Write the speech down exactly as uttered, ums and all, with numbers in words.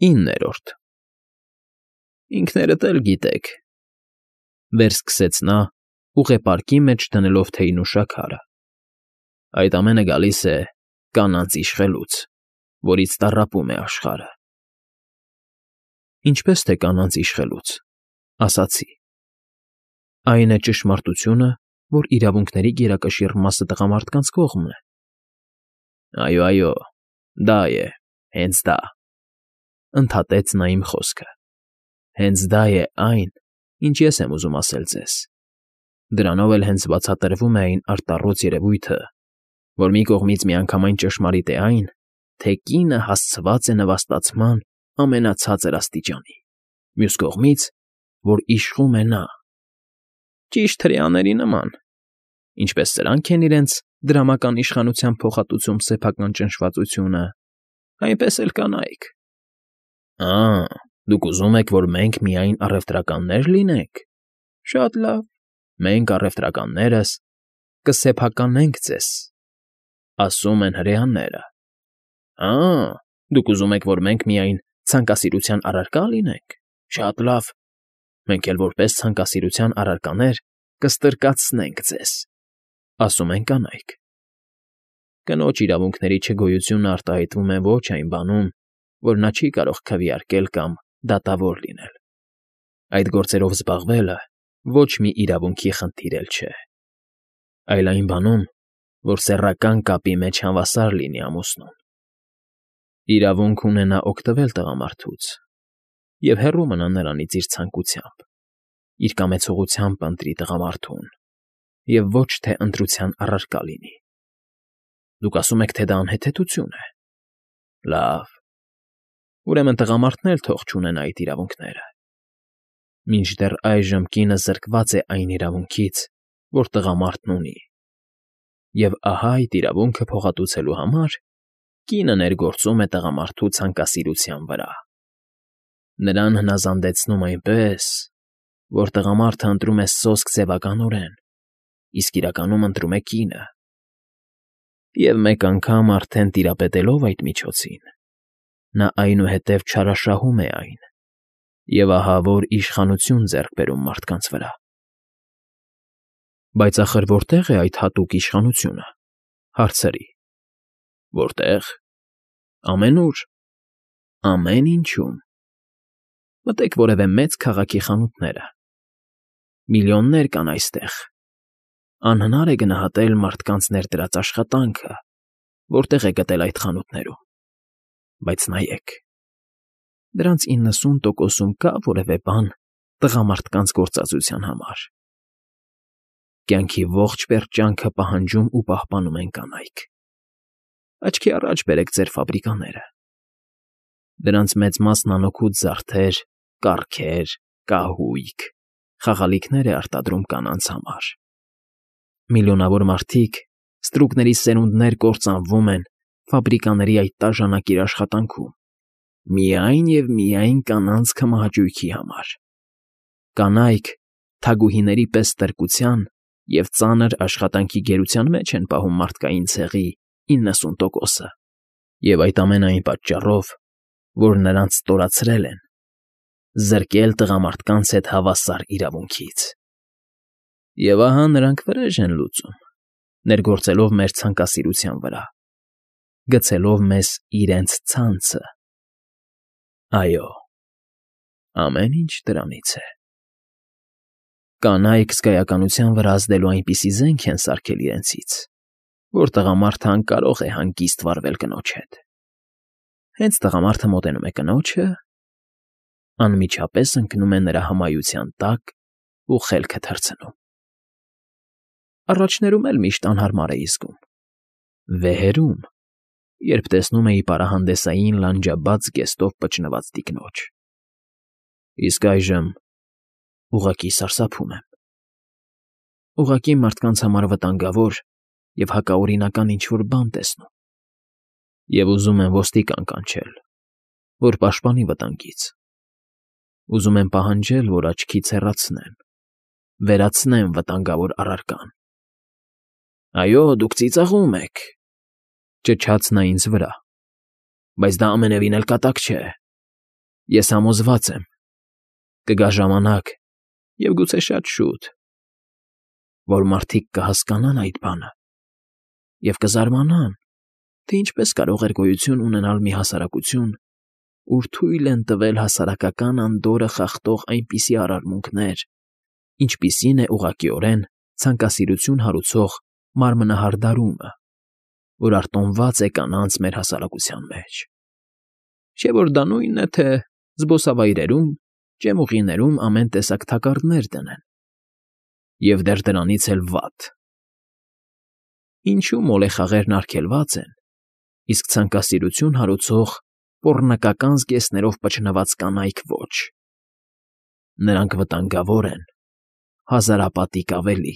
Իններորդ Ինքներդ էլ գիտեք,֊ վերսկսեց նա, ուղեպարկի մեջ դնելով թեյն ու շաքարը,֊ այդ ամենը գալիս է կանանց իշխելուց, որից տառապում է աշխարհը։ Ինչպես թե կանանց իշխելուց, ասացի. այն է ճշմարտությունը, որ իրավունքների գերակշիռ մասը տղամարդկանց կողմն է։ Այո, այո, դա է, հենց դա,֊ ընդհատեց նա իմ խոսքը, հենց դա է այն, ինչ ես եմ ուզում ասել ձեզ։ Դրանով էլ հենց բացատրվում է այն արտառոց երևույթը, որ մի կողմից միանգամայն ճշմարիտ է այն, թե կինը հասցված է նվաստացման ամենացածր աստիճանի, մյուս կողմից, որ իշխում է նա։ Ճիշտ հրեաների նման, ինչպես սրանք են իրենց դրամական իշխանության փոխհատուցում սեփական ճնշվածությունը, այնպես էլ կանայք։ Ա՜, դուք ուզում եք, որ մենք միայն առևտրականնե՞ր լինենք։ Շատ լավ, մենք առևտրականներս կսեփականենք ձեզ, ասում են հրեաները։ Ա՜, դուք ուզում եք, որ մենք միայն ցանկասիրության առարկա լինենք։ Շատ լավ, մենք էլ որպես ցանկասիրության առարկաներ կստրկացնենք ձեզ, ասում են կանայք։ Կնոջ իրավունքների չգոյությունը արտահայտվում է ոչ այն բանում, որ նա չի կարող քվեարկել կամ դատավոր լինել։ Այդ գործերով զբաղվելը ոչ մի իրավունքի խնդիր էլ չէ, այլ այն բանում, որ սեռական կապի մեջ հավասար լինի ամուսնուն։ Իրավունք ունենա օգտվել տղամարդուց և հեռու մնա նրանից իր ցանկությամբ, իր կամեցողությամբ ընտրի տղամարդուն և ոչ թե ընտրության առարկա լինի։ Դուք ասում եք, թե դա անհեթեթություն է։ Լավ, ուրեմն տղամարդն էլ թող չունենա այդ իրավունքները։ Մինչդեռ այժմ կինը զրկված է այն իրավունքից, որ տղամարդն ունի, և ահա այդ իրավունքը փոխհատուցելու համար կինը ներգործում է տղամարդու ցանկասիրության վրա։ Նրան հնազանդեցնում այնպես, որ տղամարդը ընտրում է սոսկ ձևականորեն, իսկ իրականում ընտրում է կինը։ Եվ մեկ անգամ արդեն տիրապետելով այդ միջոցին, նա այնուհետև չարաշահում է այն և ահավոր իշխանություն ձեռք բերում մարդկանց վրա։ Բայց ախր որտե՞ղ է այդ հատուկ իշխանությունը, հարցրի։ Որտե՞ղ։ Ամենուր, ամեն ինչում։ Մտեք որևէ մեծ քաղաքի խանութները։ Միլիոններ կան այստեղ։ Անհնար է գնահատել մարդկանց ներդրած աշխատանքը, որտեղ է գտել այդ խանութներում։ Բայց նայեք, դրանց իննսուն տոկոսում կա՞ որևէ բան տղամարդկանց գործածության համար։ Կյանքի ողջ պերճանքը պահանջում ու պահպանում են կանայք։ Աչքի առաջ բերեք ձեր ֆաբրիկաները։ Դրանց մեծ մասն անօգուտ զարդեր, կառքեր, կահույք, խաղալիքներ է արտադրում կանանց համար։ Միլիոնավոր մարդիկ, ստրուկների սերունդներ կործանվում են ֆաբրիկաների այդ տաժանակիր աշխատանքում, միայն և միայն կանանց քմահաճույքի համար։ Կանայք թագուհիների պես ստրկության և ծանր աշխատանքի գերության մեջ են պահում մարդկային ցեղի իննսուն տոկոսը, և այդ ամենը այն պատճառով, որ նրանց ստորացրել են, զրկել տղամարդկանց հետ հավասար իրավունքից։ Եվ ահա նրանք վրեժ են լուծում, ներգործելով մեր ցանկասիրության վրա, գցելով մեզ իրենց ցանցը։ Այո, ամեն ինչ դրանից է։ Կանայք զգայականության վրա ազդելու այնպիսի զենք են սարքել իրենցից, որ տղամարդը անկարող է հանգիստ վարվել կնոջ հետ։ Հենց տղամարդը մոտենում է կնոջը, անմիջապես ընկնում է նրա հմայության տակ ու խելքը թռցնում։ Առաջներում էլ միշտ անհարմար էի զգում։ Վեհերում, երբ տեսնում էի պարահանդեսային լանջաբաց զգեստով պճնված տիկնոջ։ Իսկ այժմ ուղղակի սարսափում եմ։ Ուղղակի մարդկանց համար վտանգավոր և հակաօրինական ինչ֊որ բան տեսնում։ Եվ ուզում եմ ոստիկան կանչել, որ պաշտպանի վտանգից։ Ուզում եմ պահանջել, որ աչքից հեռացնեն, վերացնեն վտանգավոր առարկան։ Այո, դուք ծիծաղում եք,֊ ճչաց նա ինձ վրա,֊ բայց դա ամենևին էլ կատակ չէ։ Ես համոզված եմ, կգա ժամանակ, և գուցե շատ շուտ, որ մարդիկ կհասկանան այդ բանը և կզարմանան, թե ինչպես կարող էր գոյություն ունենալ մի հասարակություն, ուր թույլ են տվել հասարակական անդորրը խախտող այնպիսի արարմունքներ, ինչպիսին է ուղղակիորեն ցանկասիրություն հարուցող մարմնահարդարումը, որ արտոնված է կանանց մեր հասարակության մեջ, չէ՞ որ դա նույնն է, թե զբոսավայրերում, ջեմուղիներում ամեն տեսակ թակարդներ դնեն, և դեռ դրանից էլ վատ. ինչու մոլեխաղերն արգելված են, իսկ ցանկասիրություն հարուցող պոռնկական զգեստներով պչնված կանայք ոչ. նրանք վտանգավոր են, հազարապատիկ ավելի։